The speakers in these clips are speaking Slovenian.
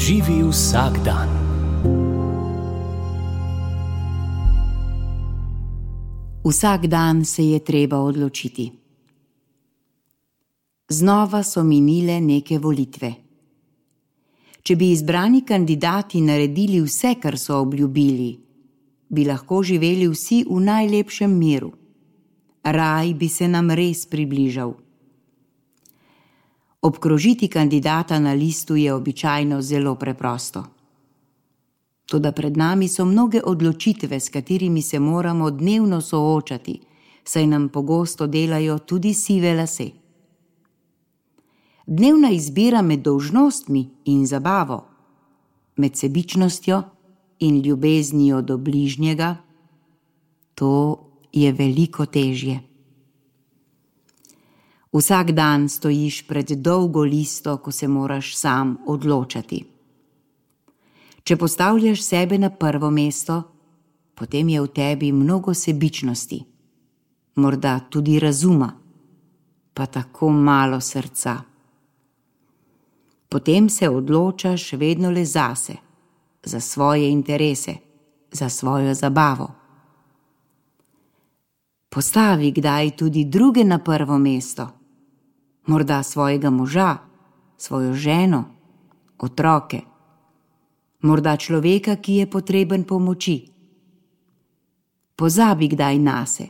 Živi vsak dan. Vsak dan se je treba odločiti. Znova so minile neke volitve. Če bi izbrani kandidati naredili vse, kar so obljubili, bi lahko živeli vsi v najlepšem miru. Raj bi se nam res približal. Obkrožiti kandidata na listu je običajno zelo preprosto. Toda pred nami so mnoge odločitve, s katerimi se moramo dnevno soočati, saj nam pogosto delajo tudi sive lase. Dnevna izbira med dolžnostmi in zabavo, med sebičnostjo in ljubeznijo do bližnjega, to je veliko težje. Vsak dan stojiš pred dolgo listo, ko se moraš sam odločati. Če postavljaš sebe na prvo mesto, potem je v tebi mnogo sebičnosti, morda tudi razuma, pa tako malo srca. Potem se odločaš vedno le zase, za svoje interese, za svojo zabavo. Postavi kdaj tudi druge na prvo mesto, morda svojega moža, svojo ženo, otroke, morda človeka, ki je potreben pomoči. Pozabi kdaj nase,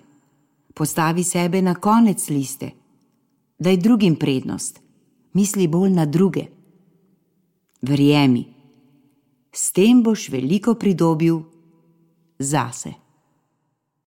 postavi sebe na konec liste, daj drugim prednost, misli bolj na druge. Verjemi, s tem boš veliko pridobil zase.